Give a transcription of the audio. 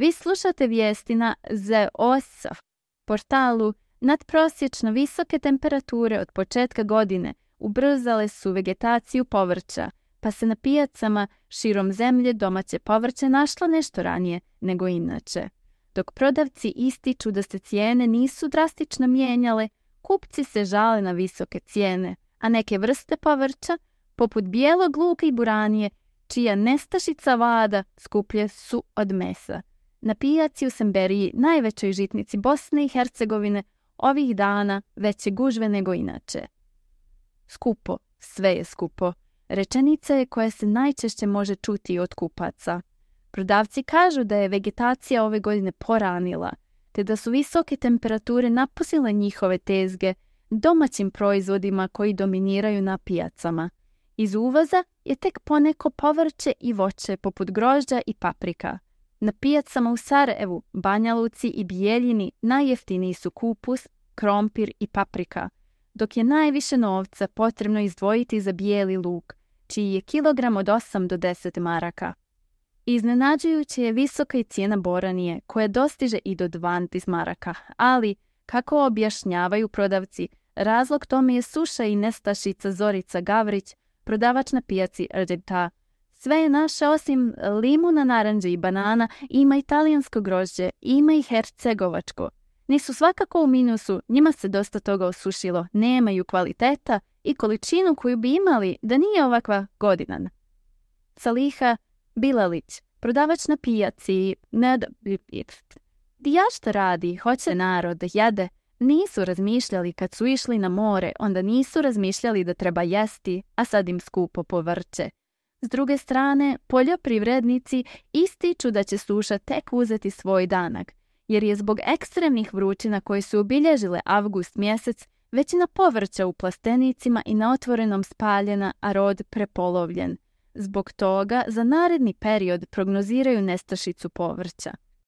Vi slušate vijesti na ZOS portalu. Nadprosječno visoke temperature od početka godine ubrzale su vegetaciju povrća, pa se na pijacama širom zemlje domaće povrće našlo nešto ranije nego inače. Dok prodavci ističu da se cijene nisu drastično mijenjale, kupci se žale na visoke cijene, a neke vrste povrća, poput bijelog luka i buranije, čija nestašica vlada, skuplje su od mesa. Na pijaci u Semberiji, najvećoj žitnici Bosne i Hercegovine, ovih dana veće gužve nego inače. Skupo, sve je skupo. Rečenica je koja se najčešće može čuti od kupaca. Prodavci kažu da je vegetacija ove godine poranila, te da su visoke temperature napustile njihove tezge domaćim proizvodima koji dominiraju na pijacama. Iz uvoza je tek poneko povrće i voće poput grožđa i paprika. Na pijacama u Sarajevu, Banja Luci i Bijeljini najjeftiniji su kupus, krompir i paprika, dok je najviše novca potrebno izdvojiti za bijeli luk, čiji je kilogram od 8 do 10 maraka. Iznenađujuće je visoka i cijena boranije, koja dostiže i do 12 maraka, ali, kako objašnjavaju prodavci, razlog tome je suša i nestašica Zorica Gavrić, prodavač na pijaci Rđeta. Sve je naše osim limuna, naranđe i banana, ima i talijansko grožđe, ima i hercegovačko. Nisu svakako u minusu, njima se dosta toga osušilo, nemaju kvaliteta i količinu koju bi imali da nije ovakva godina. Saliha Bilalić, prodavač na pijaci, ja šta radi, hoće narod da jede. Nisu razmišljali kad su išli na more, onda nisu razmišljali da treba jesti, a sad im skupo povrće. S druge strane, poljoprivrednici ističu da će suša tek uzeti svoj danak, jer je zbog ekstremnih vrućina koje su obilježile avgust mjesec, većina povrća u plastenicima i na otvorenom spaljena, a rod prepolovljen. Zbog toga za naredni period prognoziraju nestašicu povrća.